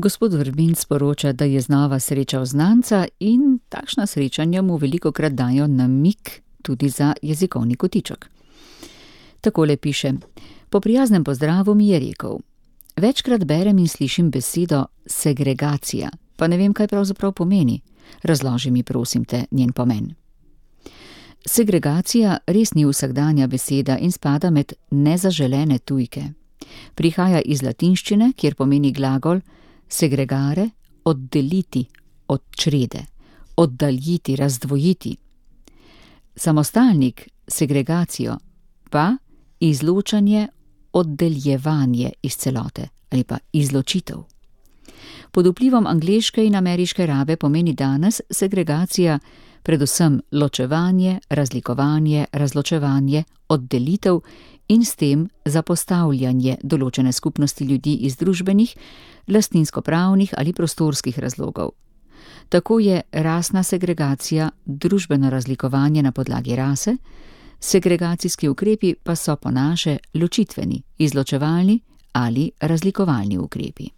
Gospod Vrbin sporoča, da je znova srečal znanca in takšna srečanja mu velikokrat dajo namig tudi za jezikovni kotiček. Takole piše: po prijaznem pozdravu mi je rekel: večkrat berem in slišim besedo segregacija, pa ne vem, kaj pravzaprav pomeni. Razloži mi, prosim te, njen pomen. Segregacija res ni vsakdanja beseda in spada med nezaželene tujke. Prihaja iz latinščine, kjer pomeni glagol segregare, oddeliti od črede, oddaljiti, razdvojiti. Samostalnik segregacijo pa izločanje, oddeljevanje iz celote ali pa izločitev. Pod vplivom angleške in ameriške rabe pomeni danes segregacija predvsem ločevanje, razlikovanje, razločevanje, oddelitev in s tem zapostavljanje določene skupnosti ljudi iz družbenih, lastninskopravnih ali prostorskih razlogov. Tako je rasna segregacija družbeno razlikovanje na podlagi rase, segregacijski ukrepi pa so po naše ločitveni, izločevalni ali razlikovalni ukrepi.